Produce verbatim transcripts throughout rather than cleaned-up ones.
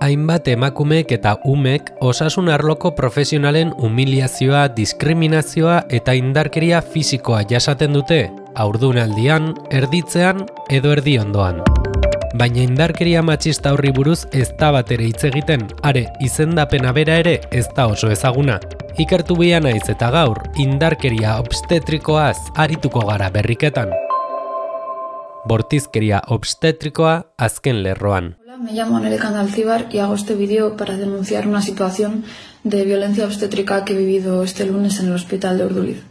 hainbat emakumeek eta umek osasun arloko profesionalen humiliazioa, diskriminazioa eta indarkeria fisikoa jasaten dute, haurdunaldian, erditzean edo erdiondoan. Baina indarkeria matxista horri buruz ez da bat ere hitz egiten, are izendapena bera ere ez da oso ezaguna. Ikertu bia naiz eta gaur, indarkeria obstetrikoaz arituko gara berriketan. Bortizkeria obstetrikoa azken lerroan. Hola, me llamo Anelekanda Alcibar y hago este vídeo para denunciar una situación de violencia obstétrica que he vivido este lunes en el hospital de Urduliz.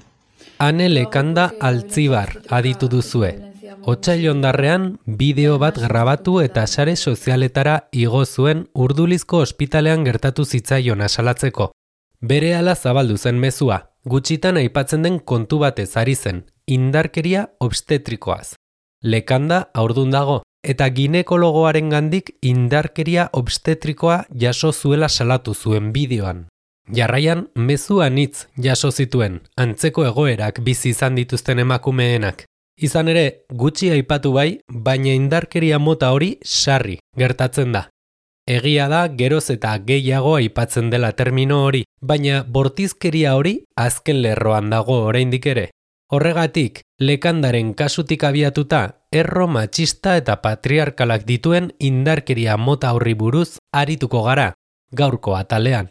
Anelekanda Alcibar aditu duzue. Otsail hondarrean bideo bat grabatu eta sare sozialetara igo zuen Urdulizko ospitalean gertatu zitzaion asalatzeko. Berehala zabaldu zen mezua, gutxitan aipatzen den kontu batez ari zen, indarkeria obstetrikoaz. Lekanda haurdun dago, eta ginekologoaren gandik indarkeria obstetrikoa jaso zuela salatu zuen bideoan. Jarraian, mezu anitz jaso zituen, antzeko egoerak bizi izan dituzten emakumeenak. Izan ere, gutxi aipatu bai, baina indarkeria mota hori sarri gertatzen da. Egia da, geroz eta gehiago aipatzen dela termino hori, baina bortizkeria hori azken lerroan dago oraindik ere. Horregatik, Lekandaren kasutik abiatuta, erro matxista eta patriarkalak dituen indarkeria mota horri buruz arituko gara, gaurko atalean.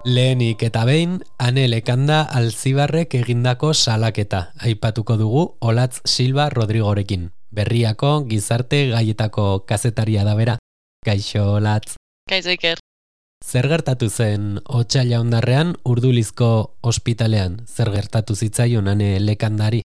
Lehenik eta behin, Anelekanda Alcibarrek egindako salaketa, aipatuko dugu Olatz Silva Rodrigorekin. Berriako gizarte gaietako kazetaria da bera. Kaixo, Olatz. Kaixo, Iker. Zer gertatu zen otsaila hondarrean Urdulizko ospitalean? Zer gertatu zitzaion Anelekandari?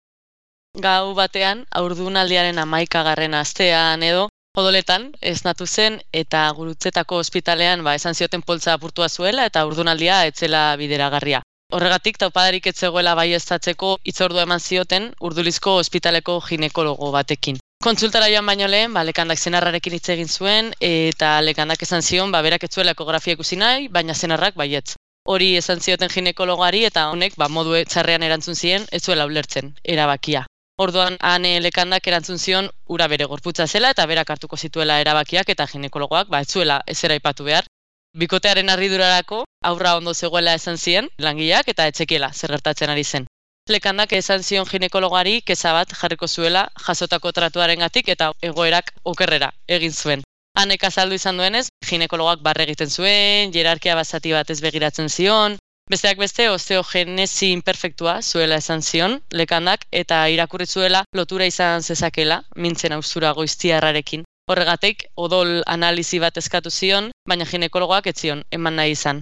Gau batean, haurdunaldiaren hamaikagarren astean edo, odoletan esnatu zen eta Gurutzetako ospitalean ba, esan zioten poltsa apurtua zuela eta haurdunaldia etzela bideragarria. Horregatik taupadarik ez zegoela baieztatzeko hitzordua eman zioten Urdulizko ospitaleko ginekologo batekin. Kontsultara joan baino lehen, ba, Lekandak senarrarekin hitz egin zuen eta Lekandak esan zion ba, berak ez zuela ekografia ikusi nahi, baina senarrak baietz. Hori esan zioten ginekologoari eta honek ba, modu txarrean erantzun zien ez zuela ulertzen, erabakia. Orduan Anelekandak erantzun zion ura bere gorputza zela eta berak hartuko zituela erabakiak eta ginekologoak ba, ez zuela ezera aipatu behar. Bikotearen harridurarako aurra ondo zegoela esan zien langileak eta etzekiela zer gertatzen ari zen. Lekandak esan zion ginekologoari keza bat jarriko zuela jasotako tratuarengatik eta egoerak okerrera egin zuen. Hanek azaldu izan duenez, ginekologoak barre egiten zuen, hierarkia basati bat ez begiratzen zion, besteak beste osteogenesi imperfektua zuela esan zion Lekandak eta irakurri zuela lotura izan zezakela mintzen austura goiztiarrarekin. Horregatik, odol analizi bat eskatu zion, baina ginekologoak ez zion eman nahi izan.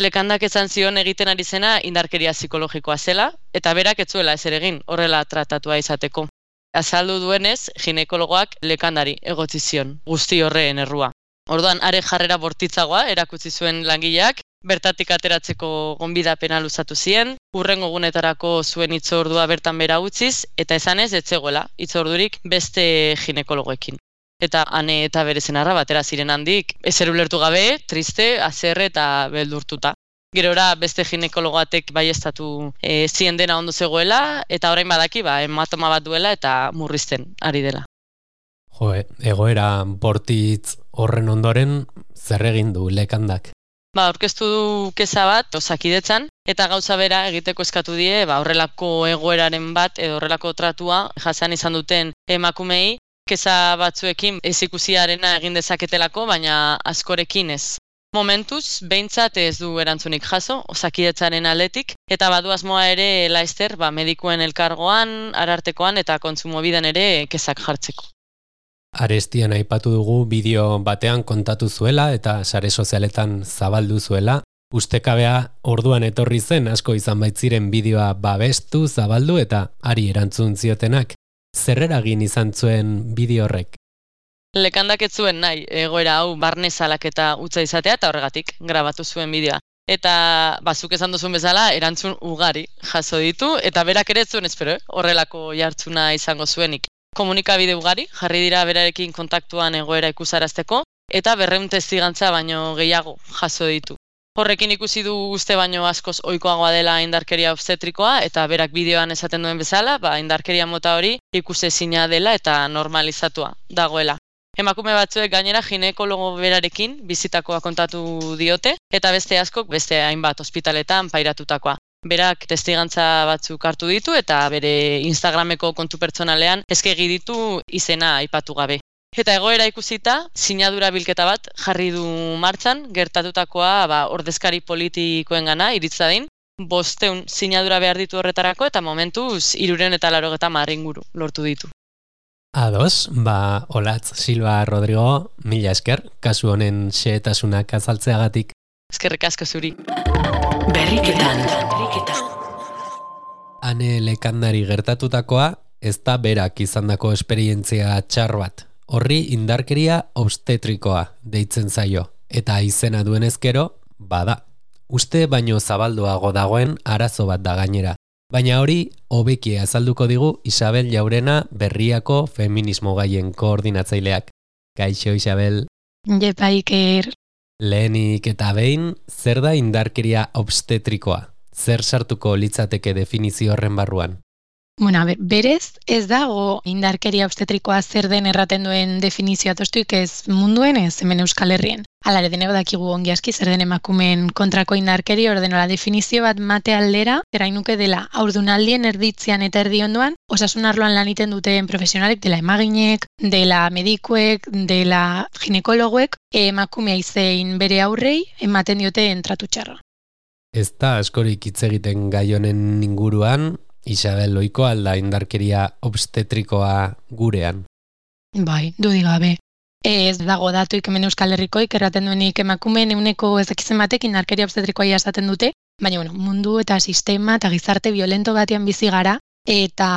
Lekandak esan zion egiten ari zena indarkeria psikologikoa zela, eta berak ez zuela ezer egin horrela tratatua izateko. Azaldu duenez, ginekologoak Lekandari egotzi zion, guzti horreen errua. Orduan, are jarrera bortitzagoa erakutsi zuen langileak, bertatik ateratzeko gonbidapena luzatu zien, hurrengo egunetarako zuen hitzordua bertan bera utziz, eta esanez ez zegoela hitzordurik beste ginekologoekin. Eta Ane eta bere senarra batera ziren handik, ezer ulertu gabe, triste, haserre eta beldurtuta. Gerora beste ginekologoatek baieztatu e, zien dena ondo zegoela, eta orain badaki ba, hematoma bat duela eta murrizten ari dela. Jo, egoera bortitz horren ondoren zer egin du Lekandak? Ba, aurkeztu du keza bat Osakidetzan, eta gauza bera egiteko eskatu die, ba, horrelako egoeraren bat edo horrelako tratua jasan izan duten emakumei, keza batzuekin ez ikusiarena egin dezaketelako, baina askorekin ez. Momentuz, behintzat ez du erantzunik jaso, Osakidetzaren aldetik, eta badu asmoa ere laizter ba, medikuen elkargoan, arartekoan eta kontsumobiden ere kezak jartzeko. Arestian aipatu dugu bideo batean kontatu zuela eta sare sozialetan zabaldu zuela. Ustekabea orduan etorri zen asko izan baitziren bideoa babestu, zabaldu eta ari erantzun ziotenak. Zer eragin izan zuen bideo horrek? Lekandak ez zuen nahi egoera hau barne salaketa utza izatea eta horregatik grabatu zuen bideoa. Eta bazuk esan duzun bezala erantzun ugari jaso ditu eta berak ere ez zuen espero, eh? Horrelako jartzuna izango zuenik. Komunikabide ugari jarri dira berarekin kontaktuan egoera ikusarazteko eta berrehun testigantza baino gehiago jaso ditu. Horrekin ikusi du uste baino askoz ohikoagoa dela indarkeria obstetrikoa eta berak bideoan esaten duen bezala, ba, indarkeria mota hori ikusezina dela eta normalizatua dagoela. Emakume batzuek gainera ginekologo berarekin bizitakoa kontatu diote eta beste askok beste hainbat ospitaletan pairatutakoa. Berak testigantza batzuk hartu ditu eta bere Instagrameko kontu pertsonalean eskegi ditu izena aipatu gabe. Eta egoera ikusita, sinadura bilketa bat jarri du martxan, gertatutakoa ba, ordezkari politikoengana iritza din, bosteun sinadura behar ditu horretarako eta momentuz hirureun eta laurogeta hamar inguru lortu ditu. Ados, ba, Olatz Silva Rodrigo, mila esker, kasu honen xehetasunak azaltzeagatik. Eskerrik asko zuri. Berriketan. Ane Lekandari gertatutakoa, ez da berak izandako esperientzia txar bat. Horri indarkeria obstetrikoa deitzen zaio, eta izena duen ezkero, bada. Uste baino zabalduago dagoen arazo bat da gainera. Baina hori, hobeki azalduko digu Isabel Jaurena Berriako feminismo gaien koordinatzaileak. Kaixo, Isabel. Jepa, Iker. Lehenik eta behin, zer da indarkeria obstetrikoa? Zer sartuko litzateke definizio horren barruan? Bueno, a ber, berez ez dago indarkeria obstetrikoa zer den erraten duen definizioa tostuik ez munduen ez hemen Euskal Herrien. Hala ere denego dakigu ongi aski zer den emakumeen kontrako indarkeri ordenola definizio bat mate aldera, errainuke dela haurdunaldien erditzean eta erdi ondoan, osasun arloan lan egiten duten profesionalek, dela emaginek, dela medikuek, dela ginekologoek, emakumea izein bere aurrei ematen diote tratu txarra. Ez da askorik hitz egiten gai honen inguruan, Isabel, ohiko alda indarkeria obstetrikoa gurean? Bai, dudik gabe. Ez dago datuik hemen Euskal Herrikoik erraten duenik emakumeen ehuneko ez dakizen batek indarkeria obstetrikoa jasaten dute, baina bueno, mundu eta sistema eta gizarte violento batean bizi gara, eta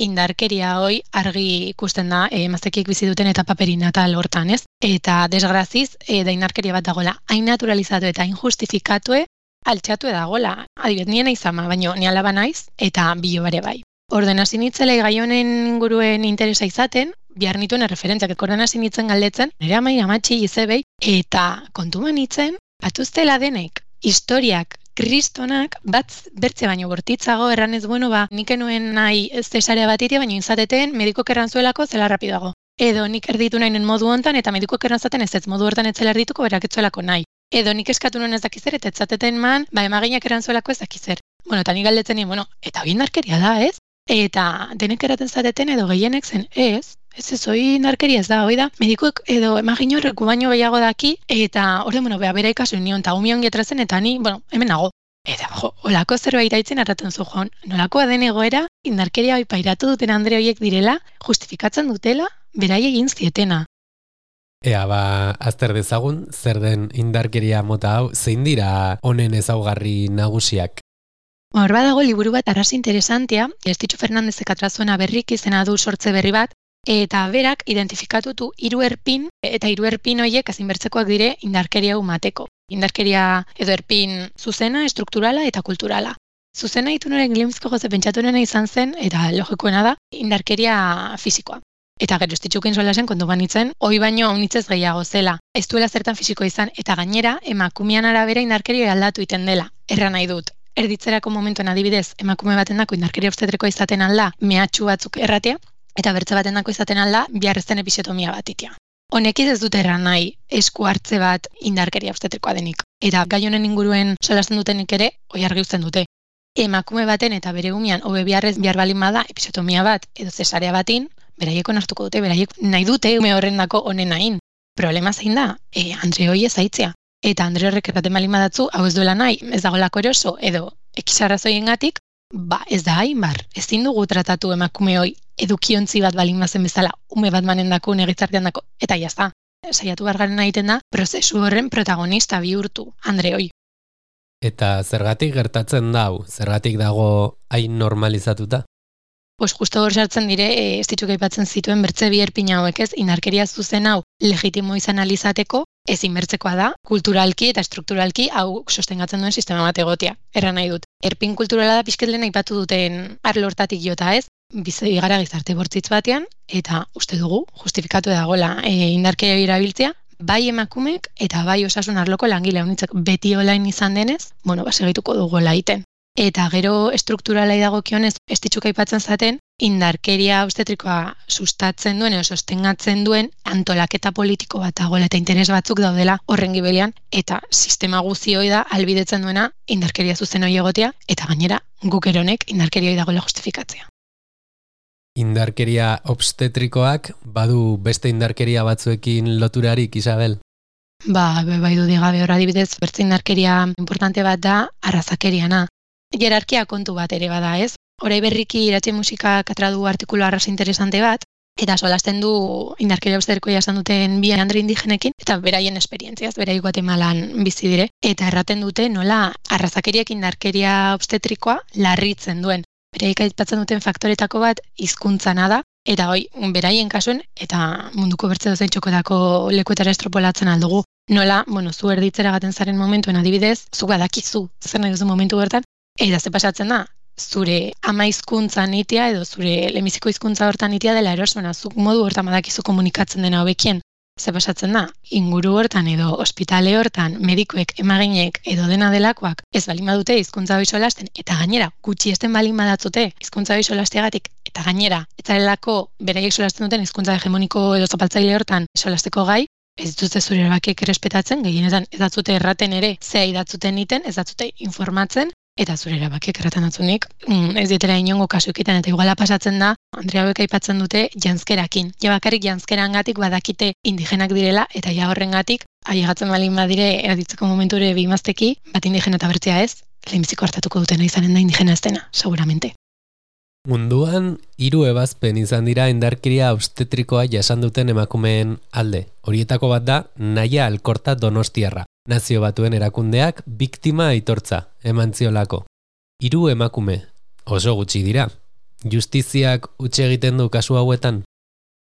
indarkeria hoi argi ikusten da emaztekiek bizi duten etapa perinatal hortan, ez? Eta desgraziz, e, da indarkeria bat dagoela hain naturalizatu eta hain justifikatue, altxatu edagola, adibet nien aizama, baino ni alaba naiz, eta bilo bare bai. Orden hasi nitzela gai honen inguruen interesa izaten, bihar nituen erreferentziak, orden hasi nitzen galdetzen, nire amai amatxi izebei, eta kontuan nitzen, batuztela denek, historiak, kristonak, bat bertze baino bortitzago, erranez, bueno, ba, nik enuen nahi zesarea bat itia, baino inzateten, medikok errantzuelako zela rapidago. Edo nik erditu nahi modu hontan, eta medikok errantzaten ez ez modu hortan etzela erdituko berak etzuelako nahi. Edo nik eskatu nuen ez dakizer, eta etzateten man, ba emaginak erantzuelako ez dakizer. Bueno, eta nik galdetzen nien, bueno, eta hori indarkeria da, ez? Eta denek eraten zateten edo gehienek zen, ez? Ez ez, hori indarkeria ez da, hori da, medikuek edo emagin horreku baino gehiago daki, eta hori, bueno, beha bera ikasu nion, eta umion getrazen, eta ni, bueno, hemen nago. Eta, jo, olako zerbait aitzen arraten zu joan, nolakoa den egoera, indarkeria hori pairatu duten Andre horiek direla, justifikatzen dutela, berai egin zietena. Ea, ba, azter dezagun, zer den indarkeria mota hau, zein dira honen ezaugarri nagusiak? Hor badago liburu bat arras interesantea, Estitxo Fernandezek atrazuena berrik izena du sortze berri bat, eta berak identifikatutu hiru erpin, eta hiru erpin horiek azinbertzekoak dire indarkeria umateko. Indarkeria edo erpin zuzena, estrukturala eta kulturala. Zuzena itunoren Glimsko goze pentsatuena izan zen, eta logikoena da, indarkeria fisikoa. Eta gero estitxukin solasen kontu banitzen, hoi baino haunitzez gehiago zela. Ez duela zertan fisiko izan, eta gainera, emakumean arabera indarkeria aldatu iten dela. Erra nahi dut. Erditzerako momentuen adibidez, emakume baten dako indarkeria obstetrikoa izaten alda, mehatxu batzuk erratea, eta bertze baten dako izaten alda, biharrezten episiotomia bat itea. Honekiz ez dut erran nahi esku hartze bat indarkeria obstetrikoa denik. Eta gai honen inguruen solasten dutenik ere, hoi argi uzten dute. Emakume baten eta bere umian, hobe biharrez bihar balin bada, episiotomia bat edo zesarea batin, beraiek onartuko dute, beraiek nahi dute ume horren dako honen nahin. Problema zein da, e, Andre hoi ez aitzea. Eta Andre horrek erraten balin badatzu, hau ez duela nahi, ez dagoelako eroso, edo ekisarrazoien gatik, ba ez da hain bar, ezin dugu tratatu emakume hoi edukiontzi bat balin bazen bezala, ume bat manen dako, negitzartean dako, eta jazta. Saiatu bargaren egiten da, prozesu horren protagonista bihurtu, Andre hoi. Eta zergatik gertatzen dau, zergatik dago hain normalizatuta? Pues justo hor sartzen dire, e, ez ditxuk aipatzen zituen bertze bi erpin hauek ez, indarkeria zuzen hau legitimo izan alizateko, ezin bertzekoa da, kulturalki eta strukturalki hau sostengatzen duen sistema bat egotea. Erra nahi dut. Erpin kulturala da pixketlen aipatu duten arlo hortatik jota ez, bizi gara gizarte bortzitz batean, eta uste dugu, justifikatu dagoela e, indarkeria erabiltzea, bai emakumek eta bai osasun arloko langile honitzak beti olain izan denez, bueno, ba, segituko dugu laiten. Eta gero estrukturalai dagokionez, ez ditxuk aipatzen zaten, indarkeria obstetrikoa sustatzen duen, edo sostengatzen duen antolaketa politiko bat dagoela eta interes batzuk daudela horren gibelian, eta sistema guzioi da albidetzen duena indarkeria zuzen hori egotea, eta gainera guk eronek indarkeria hori dagoela justifikatzea. Indarkeria obstetrikoak badu beste indarkeria batzuekin loturarik, Isabel? Ba, bai du digabe hor adibidez, bertze indarkeria importante bat da arrazakeriana. Jerarkia kontu bat ere bada, ez? Horai berriki Iratxe Musikak atradu artikulu arras interesante bat, eta solasten du indarkeria obstetrikoa jasan duten bi andre indigenekin, eta beraien esperientziaz, berai Guatemalan bizi dire, eta erraten dute nola arrazakeriak indarkeria obstetrikoa larritzen duen. Beraik aipatzen duten faktoretako bat hizkuntzana da, eta hoi, beraien kasuen, eta munduko bertze dozein txokotako lekuetara estropolatzen aldugu. Nola, bueno, zu erditzera gaten zaren momentuen adibidez, zu badakizu, zer nahi duzu momentu bertan, eta ze pasatzen da, zure ama hizkuntza nitia edo zure lemiziko hizkuntza hortan nitia dela erosmena, zuk modu hortan badakizu komunikatzen dena hobekien. Ze pasatzen da, inguru hortan edo ospitale hortan medikoek, emaginek edo dena delakoak ez balin badute hizkuntza hori solasten, eta gainera gutxi esten balin badatzute hizkuntza hori solasteagatik, eta gainera etzarelako beraiek solasten duten hizkuntza hegemoniko edo zapaltzaile hortan solasteko gai, ez dituzte zure erabakiek errespetatzen, gehienetan ez datzute erraten ere, zea idatzuten iten, ez datzute informatzen, eta zure erabakiek erraten datzunik, ez dietera inongo kasu ekiten, eta iguala pasatzen da, Andrea hauek aipatzen dute janzkerakin. Ja bakarrik janzkerangatik badakite indigenak direla, eta ja horrengatik, ailegatzen balin badire erditzeko momenture bimazteki, bat indigena eta bertzea ez, lehenbiziko hartatuko dutena izanen da indigena ez dena, seguramente. Munduan, hiru ebazpen izan dira indarkeria obstetrikoa jasan duten emakumeen alde. Horietako bat da, Naia Alkorta Donostiarra. Nazio Batuen erakundeak biktima aitortza eman ziolako. Hiru emakume, oso gutxi dira. Justiziak utxe egiten du kasu hauetan?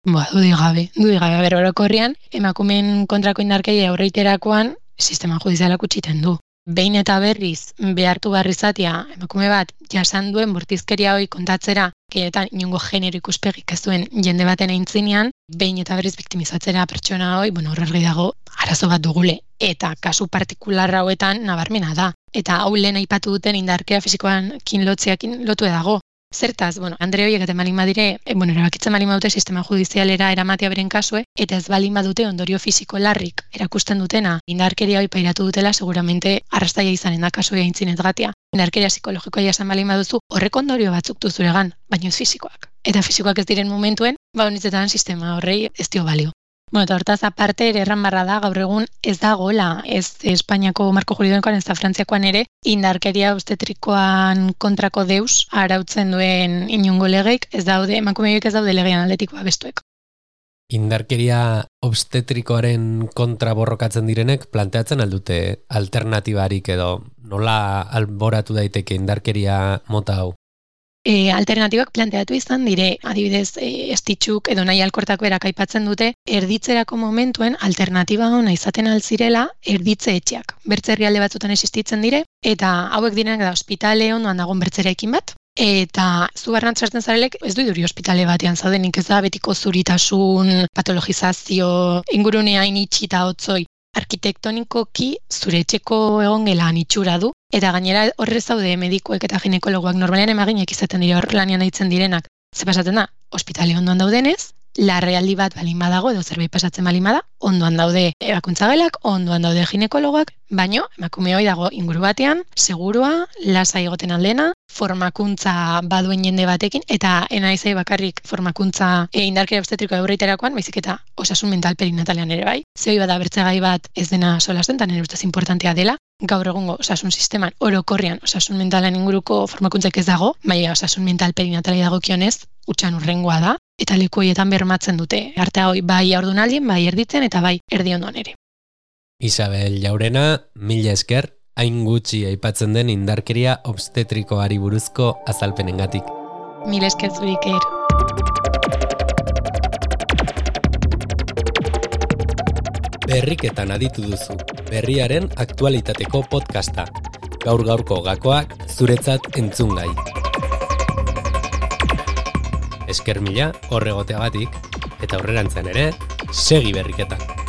Ba, dudik gabe, dudik gabe, ber orokorrean, emakumeen kontrako indarkeria aurreiterakoan sistema judizialak utxiten du. Behin eta berriz behartu barrizatia emakume bat jasan duen bortizkeria hori kontatzera, gehietan inongo genero ikuspegik ez duen jende baten aintzinean, behin eta berriz biktimizatzera pertsona hori, bueno, horregi dago arazo bat dugule. Eta kasu partikular hauetan nabarmena da. Eta hau lehen aipatu duten indarkeria fisikoan kin lotzeakin lotu dago. Zertaz, bueno, Andre horiek eta balin badire, e, bueno, erabakitzen balin badute sistema judizialera eramatea beren kasue, eta ez balin badute ondorio fisiko larrik erakusten dutena, indarkeria hori pairatu dutela, seguramente arrastaia izanen da kasue aintzinez gatia. Indarkeria psikologikoa jasan balin baduzu, horrek ondorio batzuk du zuregan, baina ez fisikoak. Eta fisikoak ez diren momentuen, ba honitzetan sistema horrei ez dio balio. Bueno, eta hortaz aparte ere erran barra da, gaur egun ez dagoela, ez Espainiako marko juridikoan ez da Frantziakoan ere, indarkeria obstetrikoan kontrako deus arautzen duen inongo legeik, ez daude, emakumeoik ez daude legean aldetikoa bestuek. Indarkeria obstetrikoaren kontra borrokatzen direnek planteatzen aldute alternatibarik edo nola alboratu daiteke indarkeria mota hau? E, alternatibak planteatu izan dire, adibidez, e, estitxuk edo Naia Alkortako erak aipatzen dute, erditzerako momentuen alternatiba hona izaten altzirela erditze etxeak. Bertze herrialde batzutan existitzen dire, eta hauek direnak da ospitale ondoan dagoen bertzerekin bat, eta zu barran sartzen zarelek ez du iduri ospitale batean zaudenik, ez da betiko zuritasun, patologizazio, ingurunea initxita hotzoi. Arkitektonikoki zure etxeko egongelan itxura du, eta gainera horre zaude medikoek eta ginekologoak normalean emaginek izaten dira hor lanean daitzen direnak. Ze pasatzen da, ospitale ondoan daudenez, larrealdi bat balin badago edo zerbait pasatzen balin bada, ondoan daude ebakuntzagelak, ondoan daude ginekologoak, baino emakume hori dago inguru batean, segurua, lasa egoten aldena, formakuntza baduen jende batekin, eta enaizai bakarrik formakuntza e, indarkeria obstetrikoa aurreiterakoan, baizik eta osasun mental perinatalean ere bai. Zehoi bada bertzegai bat ez dena solasten, eta nire ustez importantea dela, gaur egungo osasun sisteman orokorrian osasun mentalan inguruko formakuntzak ez dago, baina osasun mental perinatalei dagokionez, utxan urrengoa da, eta leku horietan bermatzen dute. Artea hoi bai haurdunaldien, bai erditzen, eta bai erdi ondoan ere. Isabel Jaurena, mila esker, hain gutxi aipatzen den indarkeria obstetrikoari buruzko azalpenengatik. Mila esker zurik er. Berriketan aditu duzu, berriaren aktualitateko podcasta. Gaur-gaurko gakoak zuretzat entzungai. Esker mila horregoteagatik, eta aurrerantzean ere, segi berriketan.